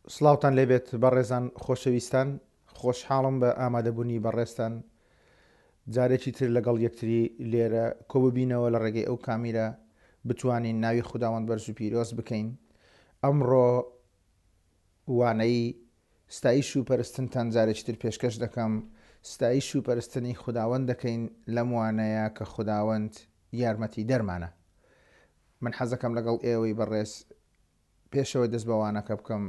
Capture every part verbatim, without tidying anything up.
سڵاوتان لێبێت بەڕێزان خۆشەویستان، خۆشحاڵم بە ئامادەبوونی بەڕێزتان جارێکی تر لەگەڵ یەکتری لێرە کۆببینەوە لە ڕێگەی ئەو کامیرە بتوانین ناوی خوداوەند بەرز و پیرۆز بکەین. ئەمڕۆ وانەی ستایش و پەرستنتان جارێکی تر پێشکەش دەکەم. ستایش و پەرستنی خوداوەند دەکەین لەم وانەیە کە خوداوەند یارمەتی دەرمانە. من حەزەکەم لەگەڵ ئێوەی بەڕێز پێشەوەی دەست بە وانەکە بکەم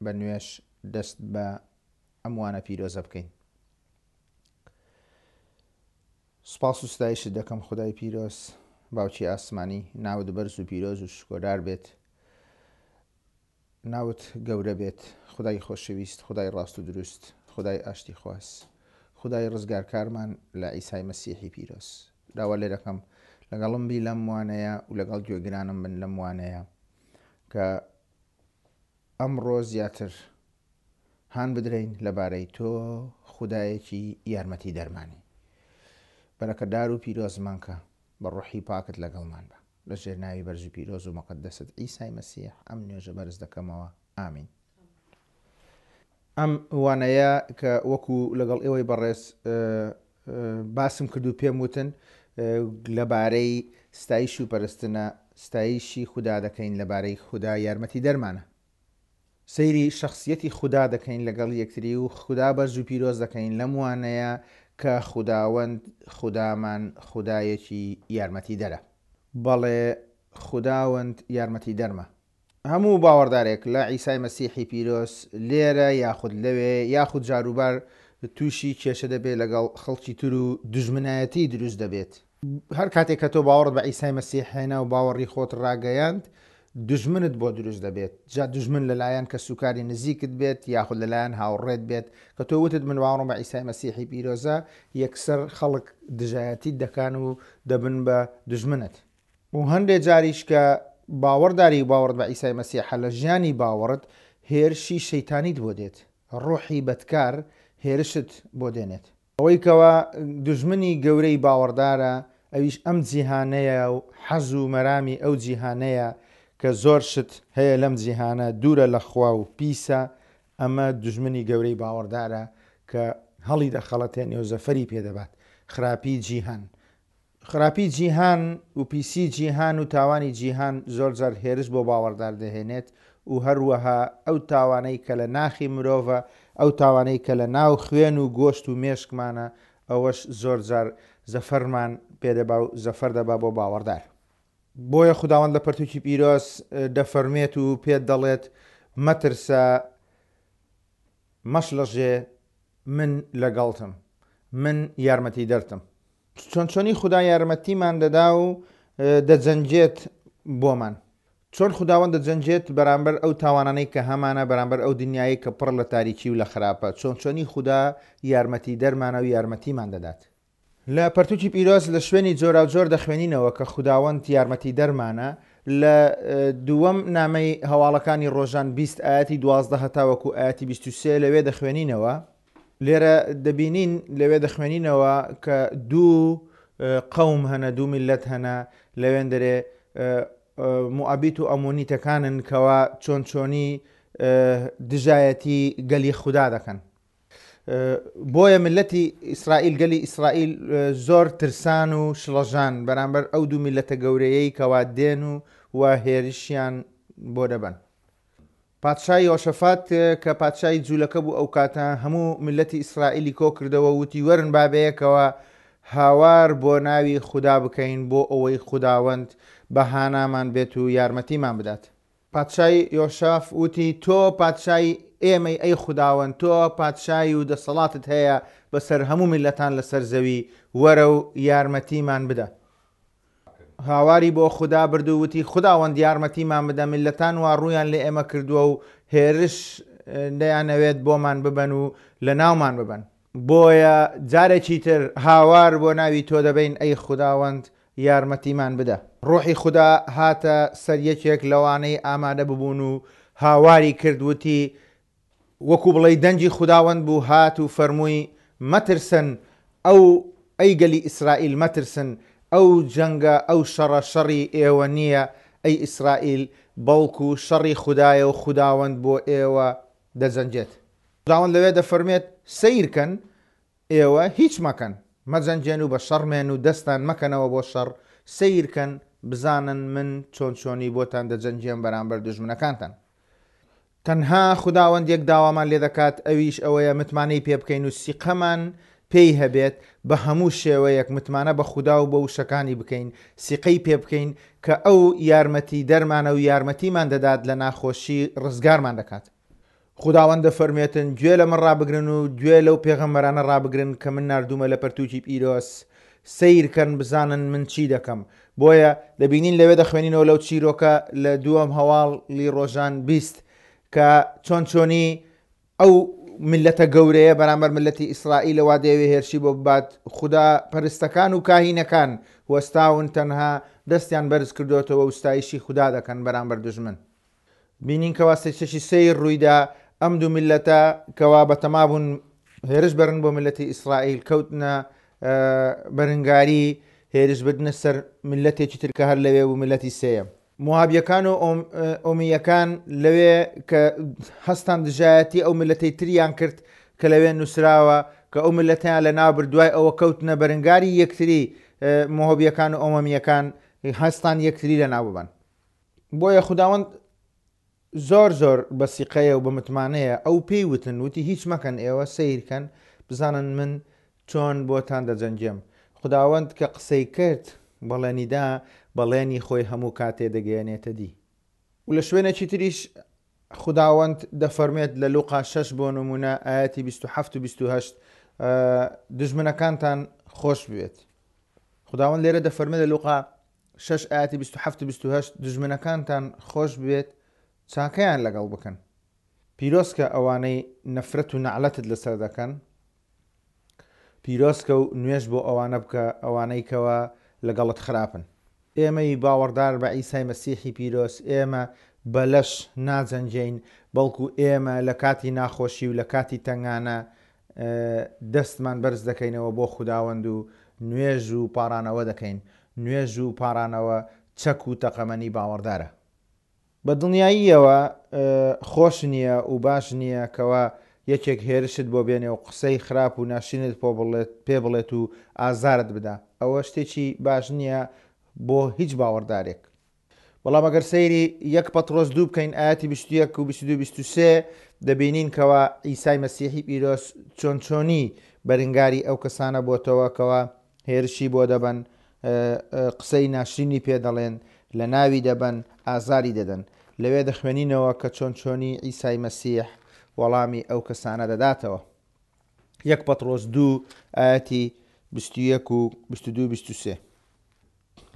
بە نوێش دەست بە ئەم وانە پیرۆزە بکەین. سوپاس و ستایشت دەکەم خودای پیرۆز، باوکی ئاسمانی، ناوت بەرز و پیرۆز و شکۆدار بێت، ناوت گەورە بێت، خودای خۆشەویست، خودای ڕاست و دروست، خودای ئاشتی خواز، خودای ڕزگارکارمان لە عیسای مەسیحی پیرۆز. داوا لێ دەکەم لەگەڵم بی لەم وانەیە و لەگەڵ گوێگرانم بن لەم وانەیە کە ئەمڕۆ زیاتر هان بدرین لەبارەی تۆ خودایەکی یارمەتی دەرمانی. بەرەکەدار و پیرۆزمان کە بە ڕۆحی پاکت لەگەڵمان بە. لە ژێر ناوی بەرز و پیرۆز و مەقەدەست عیسای مەسیح ئەم نوێژە بەرز دەکەمەوە. ئامین. ئەم وانەیە کە وەکو لەگەڵ ئێوەی بەڕێز باسم کرد و پێم وتن لەبارەی ستایش و پەرستنە، ستایشی خودا دەکەین لەبارەی خودا یارمەتی دەرمانە. سەیری شخصیەتی خودا دەکەین لەگەڵ یەکتری و خودا بەرز و پیرۆز دەکەین لەم وانەیە کە خوداوەند خودامان خودایەکی یارمەتی دەرە. بەڵێ خوداوەند یارمەتی دەرمە. هەموو باوەڕدارێک لە عیسای مەسیحی پیرۆز لێرە یاخود لەوێ یاخود جاروبار تووشی کێشە دەبێت لەگەڵ خەڵکی تر و دوژمنایەتی دروست دەبێت. هەر کاتێک کە تۆ باوەڕت بە عیسای مەسیح هێنا و باوەڕی خۆت ڕاگەیاند، دوژمنت بۆ دروست دەبێت. جا دوژمن لەلایەن کەسوکاری نزیکت بێت یاخود لەلایەن هاوڕێت بێت کە تۆ وتت من باوەڕم بە عیسای مەسیحی پیرۆزە، یەکسەر خەڵک دژایەتیت دەکان و دەبن بە دوژمنت. و هەندێک جاریش کە باوەڕداری و باوەڕت بە عیسای مەسیحە لە ژیانی باوەڕت هێرشی شەیتانیت بۆ دێت، ڕۆحی بەدکار هێرشت بۆ دێنێت. ئەوەی کەوا دوژمنی گەورەی باوەڕدارە ئەویش ئەم جیهانەیە و حەز و مەرامی ئەو جیهانەیە کە زۆر شت هەیە لەم جیهانە دوورە لە خوا و پیسە. ئەمە دوژمنی گەورەی باوەڕدارە کە هەڵی دەخەڵەتێنێ و زەفەری پێدەبات. خراپی جیهان، خراپی جیهان و پیسی جیهان و تاوانی جیهان زۆر جار هێرش بۆ باوەڕدار دەهێنێت و هەروەها ئەو تاوانەی کە لە ناخی مرۆڤە، ئەو تاوانەی کە لە ناو خوێن و گۆشت و مێشکمانە، ئەوەش زۆر جار زەفەرمان پێدەبا و زەفەر دەبا بۆ باوەڕدار. بۆیە خوداوەند لە پەرتوکی پیرۆز دەفەرمێت و پێت دەڵێت مەترسە، مەشڵەژێ، من لەگەڵتم، من یارمەتی دەرتم. چۆن چۆنی خدا یارمەتیمان دەدا و دەجەنجێت بۆمان. چۆن خداوەند دەجەنجێت بەرامبەر ئەو تاوانانەی کە هەمانە، بەرامبەر ئەو دنیایی کە پڕ لە تاریکی و لە خراپە. چۆن چۆنی خدا یارمەتی دەرمانە و یارمەتیمان دەدات. لە پەرتوکی پیرۆز لە شوێنی جۆراوجۆر دەخوێنینەوە کە خوداوەند یارمەتی دەرمانە. لە دووەم نامەی هەواڵەکانی ڕۆژان بیست ئاەتی دوازدە هەتاوەکو ئاەتی بیست و سێ لەوێ دەخوێنینەوە. لێرە دەبینین لەوێ دەخوێنینەوە کە دوو قەوم هەنە، دوو میلەت هەنە لەوێن دەرێ موئابیت و ئەمۆنیتەکانن کەوا چۆن چۆنی دژایەتی گەلی خودا دەکەن. بۆیە ملەتی ئیسرائیل، گەلی ئیسرائیل زۆر ترسان و شڵەژان بەرامبەر ئەو دوو میلەتە گەورەیەی کەوا دێن و و هێرشیان بۆ دەبەن. پادشای یۆشەفات کە پادشای جوولەکە بوو ئەو کاتە هەموو ملەتی ئیسرائیلی کۆ کردەوە وتی وەرن با بەیەکەوە هاوار بۆ ناوی خودا بکەین بۆ ئەوەی خوداوەند بە هانامان بێت و یارمەتیمان بدات. پادشای یۆشاف وتی تۆ پادشای ئێمەی ئەی خوداوەند، تۆ پادشای و دەسەڵاتت هەیە بەسەر هەموو میلەتان لەسەر زەوی، وەرە و یارمەتیمان بدە. هاواری بۆ خودا برد و وتی خوداوەند یارمەتیمان بدە، میلەتان وا ڕوویان لێ ئێمە کردووە و هێرش دەیانەوێت بۆمان ببەن و لە ناومان ببەن. بۆیە جارێکی تر هاوار بۆ ناوی تۆ دەبین ئەی خوداوەند یارمەتیمان بدە. ڕۆحی خودا هاتە سەر یەکێک لەوانەی ئامادە ببوون و هاواری کرد وتی وەکو بڵێ دەنگی خوداوەند بوو هات و فەرمووی مەترسن، ئەو ئەی گەلی ئیسرائیل مەترسن، ئەو جەنگە ئەو شەڕە شەڕی ئێوە نییە ئەی ئیسرائیل، بەڵکو شەڕی خودایە و خوداوەند بۆ ئێوە دەجەنگێت. خوداوەند لەوێ دەفەرمێت سەیرکەن ئێوە هیچ مەکەن، مەجەنگێن و بە شەڕمێن و دەستان مەکەنەوە بۆ شەڕ، سەیرکەن بزانن من چۆن چۆنی بۆتان دەجەنگێم بەرامبەر دوژمنەکانتان. تەنها خوداوەند یەک داوامان لێ دەکات، ئەویش ئەوەیە متمانەی پێ بکەین و سیقەمان پێی هەبێت، بە هەموو شێوەیەک متمانە بە خودا و بە وشەکانی بکەین، سیقەی پێ بکەین کە ئەو یارمەتی دەرمانە و یارمەتیمان دەدات، لە ناخۆشی ڕزگارمان دەکات. خوداوەند دەفەرمێتن گوێ لە من ڕابگرن و گوێ لەو پێغەمبەرانە ڕابگرن کە من ناردوومە لە پەرتووکی پیرۆز، سەیرکەن بزانن من چی دەکەم. بۆیە دەبینین لەوێ دەخوێنینەوە لەو چیرۆکە لە دووەم هەواڵی ڕۆژان بیست کە چۆن چۆنی ئەو ملەتە گەورەیە بەرامبەر ملەتی ئیسرائیلەوە دەیەوێ هێرشی بۆ ببات، خودا پەرستەکان و کاهینەکان وەستاون تەنها دەستیان بەرز کردوێتەوە و ستایشی خودا دەکەن بەرامبەر دوژمن. بینین کەوا سێچێکی سەیر ڕوویدا، ئەم دوو ملەتە کەوا بەتەما بوون هێرش بەرن بۆ ملەتی ئیسرائیل، کەوتنە بەرنگاری هێرش بردنە سەر ملەتێکی تر کە هەر لەوێ بوو، ملەتی سێیەم. موابیەکان و ئۆمیەکان لەوێ کە هەستان دژایەتی ئەو ملەتەی تریان کرد کە لەوێ نووسراوە کە ئەو ملەتیان لە ناوبرد، دوای ئەوە کەوتنە بەرنگاری یەکتری، مۆهۆبیەکان و ئۆمەمیەکان هەستان یەکتری لە ناو ببەن. بۆیە خوداوەند زۆر زۆر بەسیقەیە و بە متمانەیە ئەو پێی وتن، وتی هیچ مەکەن، ئێوە سەیرکەن بزانن من چۆن بۆتان دەجەنگێم. خوداوەند کە قسەی کرد بەڵێنیدا، بەڵێنی خۆی هەموو کاتێ دەگەیەنێتە دی. و لە شوێنێکی تریش خوداوەند دەفەرمێت لە لوقا شەش بۆ نمونە ئاەتی بیست و حەفت و بیست و هەشت دژمنەکانتان خۆش بوێت. خوداوەند لێرە دەفەرمێت لە لوقا شەش ئاەتی بیست و حەفت و بیست و هەشت دژمنەکانتان خۆش بوێت، چاکەیان لەگەڵ بکەن. پیرۆزکە ئەوانەی نەفرەت و نەعلەتت لەسەر دەکەن، پیرۆزکە و نوێژ بۆ ئەوانە بکە ئەوانەی کەوا لەگەڵت خراپن. ئێمەی باوەڕدار بە عیسای مەسیحی پیرۆز، ئێمە بەلەش ناجەنگین، بەڵکو ئێمە لە کاتی ناخۆشی و لە کاتی تەنگانە دەستمان بەرز دەکەینەوە بۆ خوداوەند و نوێژ و پارانەوە دەکەین. نوێژ و پارانەوە چەک و تەقەمەنی باوەڕدارە. بە دڵنیاییەوە خۆش نییە و باش نییە کەوا یەکێک هێرشت بۆ بێنێ و قسەی خراپ و ناشرینت پێ بڵێت و ئازارت بدا. ئەوە شتێکی باش نییە بۆ هیچ باوەڕدارێک. بەڵام ئەگەر سەیری یەک پەترۆس دوو بکەین ئاەتی بیست و یەک و بیست و دوو بیست و سێ دەبینین کەوا عیسای مەسیحی پیرۆز چۆن چۆنی بەرنگاری ئەو کەسانە بۆتەوە کەوا هێرشی بۆ دەبەن، قسەی ناشرینی پێ دەڵێن، لە ناوی دەبەن، ئازاری دەدەن. لەوێ دەخوێنینەوە کە چۆن چۆنی عیسای مەسیح وەڵامی ئەو کەسانە دەداتەوە. یەک پەترۆس دوو ئاەتی بیست و یەک و بیست و دوو بیست و سێ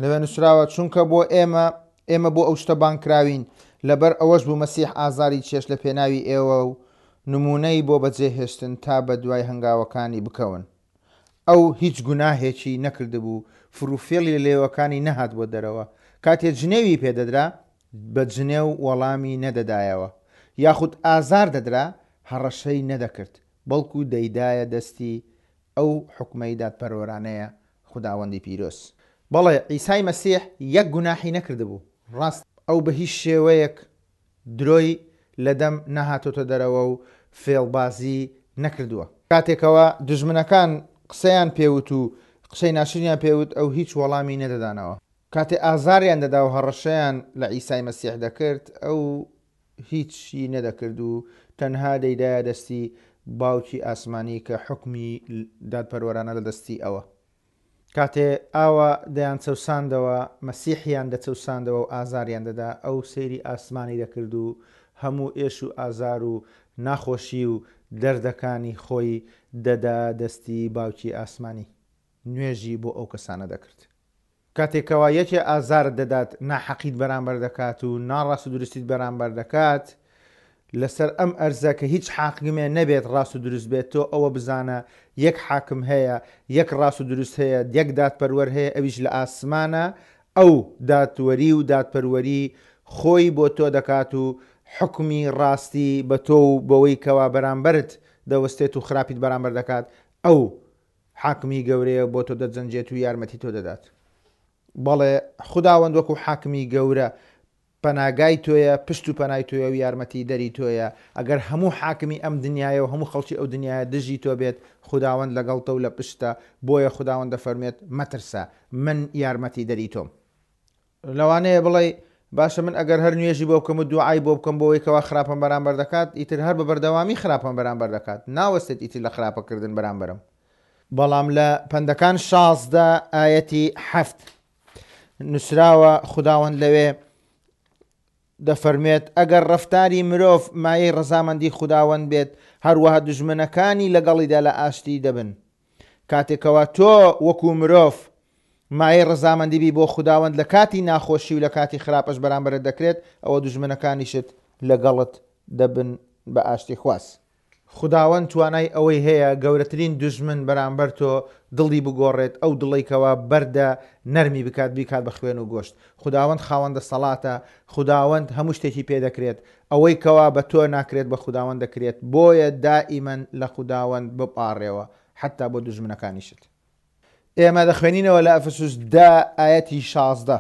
لەوێ نووسراوە چونکە بۆ ئێمە ئێمە بۆ ئەو شتە بانکراوین، لەبەر ئەوەش بوو مەسیح ئازاری چێش لە پێناوی ئێوە و نمونەی بۆ بەجێهێشتن تا بە دوای هەنگاوەکانی بکەون. ئەو هیچ گوناهێکی نەکردبوو، فڕوفێڵی لە لێوەکانی نەهات بۆ دەرەوە. کاتێ جنێوی پێدەدرا بە جنێو وەڵامی نەدەدایەوە، یاخود ئازار دەدرا هەڕەشەی نەدەکرد، بەڵکو دەیدایە دەستی ئەو حکومەی دادپەروەرانەیە خوداوەندی پیرۆز. بەڵێ عیسای مەسیح یەک گوناحی نەکردبوو، ڕاست ئەو بە هیچ شێوەیەک درۆی لە دەم نەهاتۆتە دەرەوە و فێڵبازی نەکردووە. کاتێکەوە دژمنەکان قسەیان پێوت و قسەی ناشرینیان پێوت، ئەو هیچ وەڵامی نەدەدانەوە. کاتێ ئازاریان دەدا و هەڕەشەیان لە عیسای مەسیح دەکرد، ئەو هیچی نەدەکرد و تەنها دەیدایە دەستی باوکی ئاسمانی کە حکمی دادپەروەرانە لە دەستی ئەوە. کاتێ ئاوا دەیان چەوساندەوە، مەسیحیان دەچەوساندەوە و ئازاریان دەدا، ئەو سەیری ئاسمانی دەکرد و هەموو ئێش و ئازار و ناخۆشی و دەردەکانی خۆی دەدا دەستی باوکی ئاسمانی. نوێژی بۆ ئەو کەسانە دەکرد. کاتێکەوە یەکێ ئازارت دەدات، ناحەقیت بەرامبەر دەکات و ناڕاست و دروستیت بەرامبەر دەکات، لەسەر ئەم ئەرزە کە هیچ حاکمێ نەبێت ڕاست و دروست بێت، تۆ ئەوە بزانە یەک حاکم هەیە، یەک ڕاست و دروست هەیە، یەک دادپەروەر هەیە، ئەویش لە ئاسمانە. ئەو دادوەری و دادپەروەری خۆی بۆ تۆ دەکات و حکمی ڕاستی بە تۆ و بەوەی کەوا بەرامبەرت دەوەستێت و خراپیت بەرامبەر دەکات، ئەو حاکمی گەورەیە بۆ تۆ دەجەنجێت و یارمەتی تۆ دەدات. بەڵێ خوداوەند وەکو حاکمی گەورە پەناگای تۆیە، پشت و پەنای تۆیە و یارمەتیدەری تۆیە، ئەگەر هەموو حاکمی ئەم دنیایە و هەموو خەڵکی ئەو دنیایە دژی تۆ بێت، خوداوەند لەگەڵتە و لە پشتە، بۆیە خوداوەند دەفەرموێت مەترسە، من یارمەتیدەری تۆم. لەوانەیە بڵێی، باشە من ئەگەر هەر نوێژی بۆ بکەم و دوعای بۆ بکەم بۆ ئەوەی کەوا خراپەم بەرامبەر دەکات، ئیتر هەر بە بەردەوامی خراپەم بەرامبەر دەکات، ناوەستێت ئیتر لە خراپەکردن بەرامبەرم. بەڵام لە پەندەکان شازدە ئایەتی حەفت نووسراوە، خوداوەند لەوێ دەفەرموێت، ئەگەر ڕەفتاری مرۆڤ مایەی ڕەزامەندی خوداوەند بێت، هەروەها دوژمنەکانی لەگەڵیدا لە ئاشتی دەبن. کاتێکەوە تۆ وەکو مرۆڤ مایەی ڕەزامەندی بی بۆ خوداوەند لە کاتی ناخۆشی و لە کاتی خراپەش بەرامبەرت دەکرێت، ئەوە دوژمنەکانیشت لەگەڵت دەبن بە ئاشتی خواز. خوداوەند توانای ئەوەی هەیە گەورەترین دوژمن بەرامبەر تۆ دڵی بگۆڕێت، ئەو دڵەی کەوا بەردە نەرمی بکات، بیکات بە خوێن و گۆشت. خوداوەند خاوەن دەسەڵاتە، خوداوەند هەموو شتێکی پێ دەکرێت، ئەوەی کەوا بە تۆ ناکرێت بە خوداوەند دەکرێت، بۆیە دائیمەن لە خوداوەند بپاڕێوە حەتا بۆ دوژمنەکانیشت. ئێمە دەخوێنینەوە لە ئەفسوس دە ئایەتی شازدە.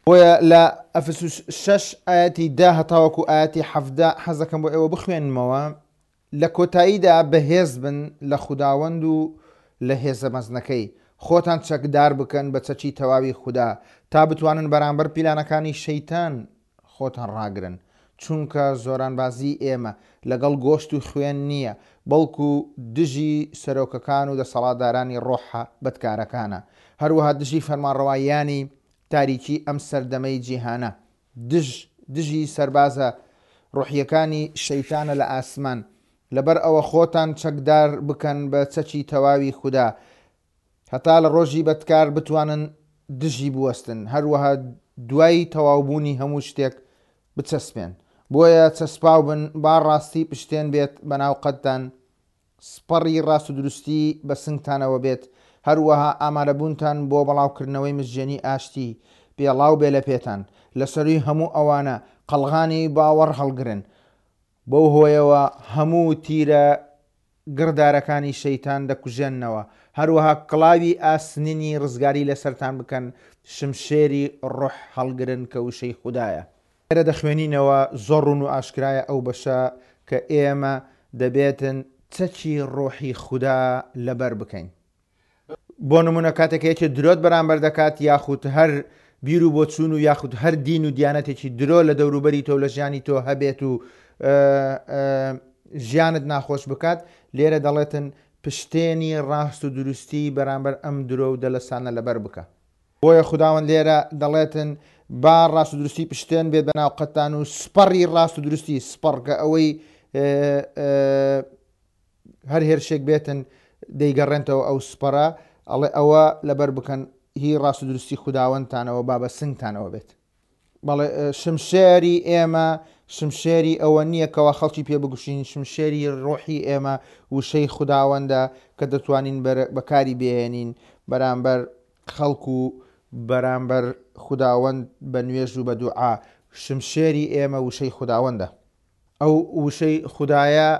بۆیە لە ئەفسوس شەش ئایەتی دە هەتاوەکو ئایەتی حەڤدە حەز دەکەم بۆ ئێوە بخوێنمەوە. لە کۆتاییدا بەهێز بن لە خوداوەند و لە هێزە مەزنەکەی، خۆتان چەکدار بکەن بە چەکی تەواوی خودا، تا بتوانن بەرامبەر پیلانەکانی شەیتان خۆتان ڕاگرن. چونکە زۆرانبازی ئێمە لەگەڵ گۆشت و خوێن نییە، بەڵکو دژی سەرۆکەکان و دەسەڵاتدارانی ڕۆحە بەدکارەکانە، هەروەها دژی فەرمانڕەوایانی تاریکی ئەم سەردەمەی جیهانە، دژ دژی سەربازە ڕۆحیەکانی شەیتانە لە ئاسمان. لەبەر ئەوە خۆتان چەکدار بکەن بە چەکی تەواوی خودا، هەتا لە ڕۆژی بەدکار بتوانن دژی بوەستن، هەروەها دوای تەواوبوونی هەموو شتێک بچەسپێن. بۆیە چەسپاو بن، با ڕاستی پشتێن بێت بەناو قەدتان، سپەڕی ڕاست و دروستی بە سنگتانەوە بێت، هەروەها ئامادەبوونتان بۆ بەڵاوکردنەوەی مزگێنی ئاشتی پێڵاو بێ لە پێتان. لە سەرووی هەموو ئەوانە قەڵغانی باوەڕ هەڵگرن، بەو هۆیەوە هەموو تیرە گڕدارەکانی شەیتان دەکوژێننەوە، هەروەها کڵاوی ئاسنینی ڕزگاری لەسەرتان بکەن، شمشێری ڕۆح هەڵگرن کە وشەی خودایە. لێرە دەخوێنینەوە زۆر ڕوون و ئاشکرایە ئەو بەشە کە ئێمە دەبێتن چەکی ڕۆحی خودا لەبەر بکەین. بۆ نمونە کاتێک یەکێ درۆت بەرامبەر دەکات، یاخود هەر بیر و بۆچوون و یاخود هەر دین و دیانەتێکی درۆ لە دەوروبەری تۆ لە ژیانی تۆ هەبێت و ژیانت ناخۆش بکات، لێرە دەڵێتن پشتێنی ڕاست و دروستی بەرامبەر ئەم درۆ و دەلەسانە لەبەر بکە. بۆیە خوداوەند لێرە دەڵێتن با ڕاست و دروستی پشتێن بێت بەناو قەتان و سپەڕی ڕاست و دروستی، سپەڕ کە ئەوەی هەر هێرشێک بێتن دەیگەڕێنتەوە ئەو سپەڕە، ئەڵێ ئەوە لەبەر بکەن هی ڕاست و دروستی خوداوەندتانەوە با بە سنگتانەوە بێت. بەڵێ شمشێری ئێمە شمشێری ئەوە نییە کەوا خەڵکی پێ بگوشین، شمشێری ڕۆحی ئێمە وشەی خوداوەندە کە دەتوانین بەکاری بێنین بەرامبەر خەڵک و بەرامبەر خوداوەند بە نوێژ و بە دوعا. شمشێری ئێمە وشەی خوداوەندە. ئەو وشەی خودایە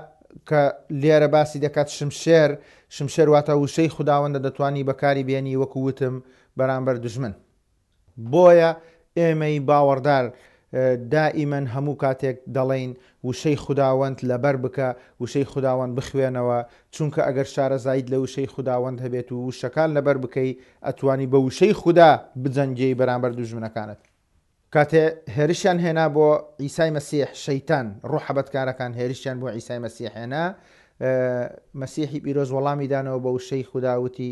کە لێرە باسی دەکات شمشێر، شمشێر واتە وشەی خوداوەندە دەتوانی بەکاری بێنی وەکو وتم بەرامبەر دوژمن. بۆیە ئێمەی باوەڕدار دائیمەن هەموو کاتێک دەڵێین وشەی خوداوەند لەبەر بکە، وشەی خوداوەند بخوێنەوە، چونکە ئەگەر شارەزاییت لە وشەی خوداوەند هەبێت و وشەکان لەبەر بکەی ئەتوانی بە وشەی خودا بجەنگێی بەرامبەر دوژمنەکانت. کاتێ هێرشیان هێنا بۆ عیسای مەسیح، شەیتان ڕۆحە بەدکارەکان هێرشیان بۆ عیسای مەسیح هێنا، مەسیحی پیرۆز وەڵامی دانەوە بە وشەی خودا وتی،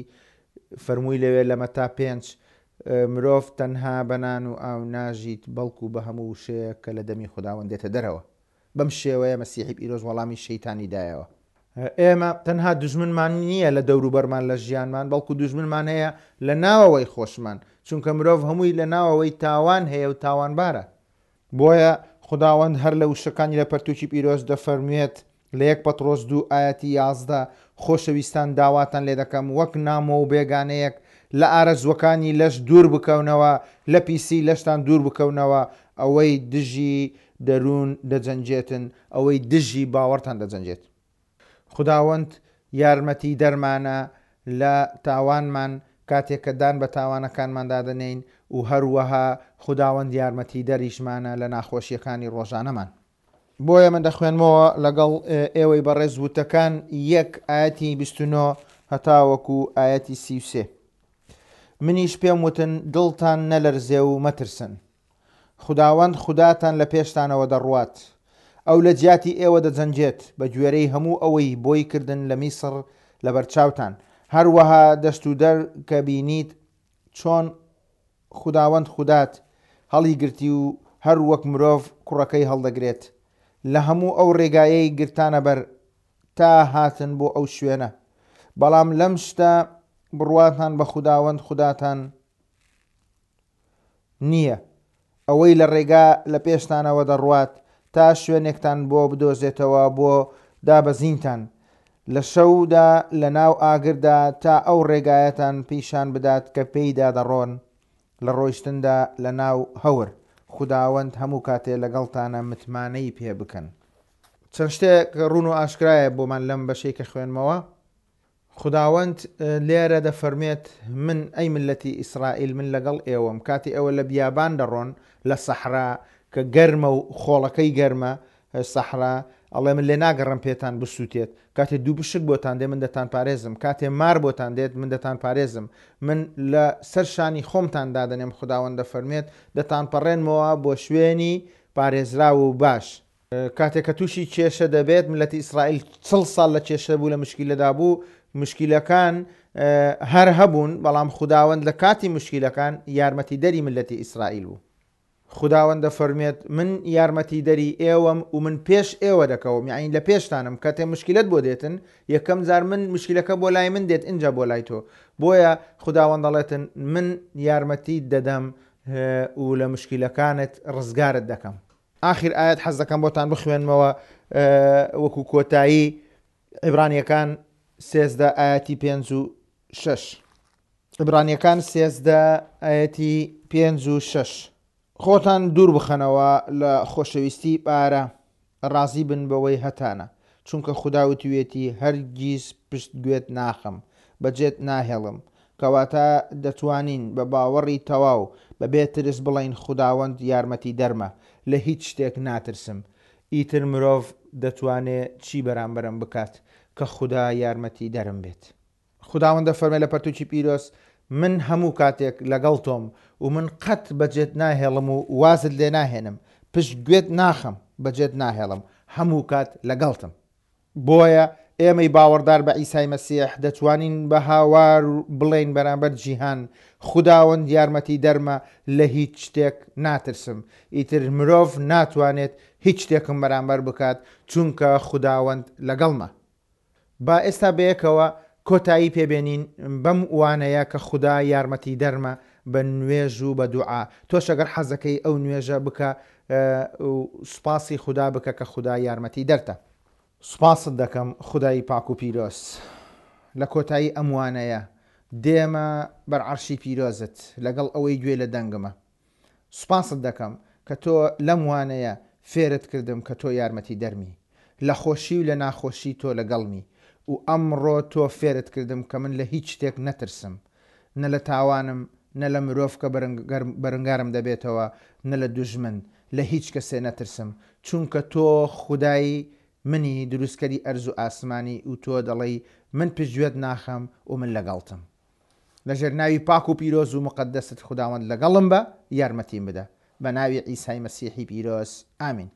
فەرمووی لەوێ لە مەتا پێنج، مرۆڤ تەنها بە نان و ئاو ناژیت، بەڵکو بە هەموو وشەیەک کە لە دەمی خوداوەند دێتە دەرەوە. بەم شێوەیە مەسیحی پیرۆز وەڵامی شەیتانی دایەوە. ئێمە تەنها دوژمنمان نییە لە دەوروبەرمان لە ژیانمان، بەڵکو دوژمنمان هەیە لە ناوەوەی خۆشمان، چونکە مرۆڤ هەمووی لە ناوەوەی تاوان هەیە و تاوانبارە. بۆیە خوداوەند هەر لە وشەکانی لە پەرتوکی پیرۆز دەفەرموێت لە یەک پەترۆس دوو ئایەتی یازدە، خۆشەویستان داواتان لێ دەکەم وەک نامۆ و بێگانەیەک لە ئارەزووەکانی لەش دوور بکەونەوە، لە پیسی لەشتان دوور بکەونەوە، ئەوەی دژی دەروون دەجەنگێتن، ئەوەی دژی باوەڕتان دەجەنگێت. خوداوەند یارمەتی دەرمانە لە تاوانمان کاتێک کە دان بە تاوانەکانماندا دەنێین و هەروەها خوداوەند یارمەتیدەریشمانە لە ناخۆشیەکانی ڕۆژانەمان. بۆیە من دەخوێنمەوە لەگەڵ ئێوەی بەڕێز وتەکان یەک ئایەتی بیست و نۆ هەتاوەکو ئایەتی سی و سێ. منیش پێم وتن دڵتان نەلەرزێ و مەترسن. خوداوەند خوداتان لە پێشتانەوە دەڕوات. ئەو لە جیاتی ئێوە دەجەنگێت بە گوێرەی هەموو ئەوەی بۆی کردن لە میسر لەبەرچاوتان. هەروەها دەست و دەر کە بینیت چۆن خوداوەند خودات هەڵیگرتی و هەر وەک مرۆڤ کوڕەکەی هەڵدەگرێت لە هەموو ئەو ڕێگایەی گرتانە بەر تا هاتن بۆ ئەو شوێنە. بەڵام لەم شتە بڕواتان بە خوداوەند خوداتان نییە، ئەوەی لە ڕێگا لە پێشتانەوە دەڕوات تا شوێنێکتان بۆ بدۆزێتەوە بۆ دابەزینتان لە شەودا لە ناو ئاگردا تا ئەو ڕێگایەتان پیشان بدات کە پێیدا دەڕۆن لە ڕۆیشتندا لە ناو هەور. خوداوەند هەموو کاتێ لەگەڵتانە متمانەی پێ بکەن. چەند شتێک ڕوون و ئاشکرایە بۆمان لەم بەشەی کە خوێنمەوە. خوداوەند لێرە دەفەرمێت من ئەی ملەتی ئیسرائیل من لەگەڵ ئێوەم. کاتی ئێوە لە بیابان دەڕۆن لە سەحرا کە گەرمە و خۆڵەکەی گەرمە سەحرا، ئەڵێ من لێ ناگەڕم پێتان بسووتێت. کاتێ دوو بشک بۆتان دێ من دەتان پارێزم، کاتێ مار بۆتان دێت من دەتان پارێزم، من لە سەر شانی خۆمتان دادەنێم. خوداوەند دەفەرمێت دەتان پەڕێنمەوە بۆ شوێنی پارێزراو و باش. کاتێک کە تووشی کێشە دەبێت، ملەتی ئیسرائیل چڵ ساڵ لە کێشە بوو، لە مشکیلەدا بوو، مشکیلەکان هەر هەبوون، بەڵام خوداوەند لە کاتی مشکیلەکان یارمەتیدەری ملەتی ئیسرائیل بوو. خوداوەند دەفەرمێت من یارمەتیدەری ئێوەم و من پێش ئێوە دەکەوم، یعنی لە پێشتانم. کاتێ مشکلت بۆ دێتن یەکەم جار من مشکلەکە بۆ لای من دێت ئینجا بۆ لای تۆ. بۆیە خوداوەند دەڵێتن من یارمەتی دەدەم و لە مشکلەکانت ڕزگارت دەکەم. آخر ئاەت حەز دەکەم بۆتان بخوێنمەوە وەکو کۆتایی عیبرانیەکان سێزدە ئاەتی پێنج و شەش. عیبرانیەکان سێزدە ئاەتی پێنج و شەش. خۆتان دوور بخەنەوە لە خۆشەویستی پارە، ڕازی بن بەوەی هەتانە، چونکە خودا وتوێتی هەرگیز پشت گوێت ناخەم، بەجێت ناهێڵم. کەواتە دەتوانین بە باوەڕی تەواو بەبێ ترس بڵین خوداوەند یارمەتی دەرمە، لە هیچ شتێک ناترسم. ئیتر مرۆڤ دەتوانێت چی بەرامبەرم بکات کە خودا یارمەتی دەرم بێت؟ خوداوەند دەفەرمێ لە پەرتوکی پیرۆز من هەموو کاتێک لەگەڵ تۆم و من قەت بەجێت ناهێڵم و وازت لێ ناهێنم، پشت گوێت ناخەم، بەجێت ناهێڵم، هەموو کات لەگەڵتم. بۆیە ئێمەی باوەڕدار بە عیسای مەسیح دەتوانین بە هاوار بڵێین بەرامبەر جیهان خوداوەند یارمەتی دەرمە، لە هیچ شتێک ناترسم. ئیتر مرۆڤ ناتوانێت هیچ شتێکم بەرامبەر بکات، چونکە خوداوەند لەگەڵمە. با ئێستا بەیەکەوە کۆتایی پێبێنین بەم وانەیە کە خودا یارمەتی دەرمە بە نوێژ و بە دوعا. تۆش ئەگەر حەزەکەی ئەو نوێژە بکە و سوپاسی خودا بکە کە خودا یارمەتی دەرتە. سوپاست دەکەم خودای پاک و پیرۆز. لە کۆتایی ئەم وانەیە دێمە بەر عەرشی پیرۆزت لەگەڵ ئەوەی گوێ لە دەنگمە. سوپاست دەکەم کە تۆ لەم وانەیە فێرت کردم کە تۆ یارمەتی دەرمی، لە خۆشی و لە ناخۆشی تۆ لەگەڵمی، و ئەمڕۆ تۆ فێرت کردم کە من لە هیچ شتێک نەترسم، نە لە تاوانم، نە لە مرۆڤ کە بەرەنگارم دەبێتەوە، نە لە دوژمن، لە هیچ کەسێ نەترسم، چونکە تۆ خودای منی دروستکەری ئەرز و ئاسمانی و تۆ دەڵێی من پشتگوێت ناخەم و من لەگەڵتم. لەژێر ناوی پاک و پیرۆز و مقەدەست خوداوەند لەگەڵم بە، یارمەتیم بدە. بە ناوی عیسای مەسیحی پیرۆز، ئامین.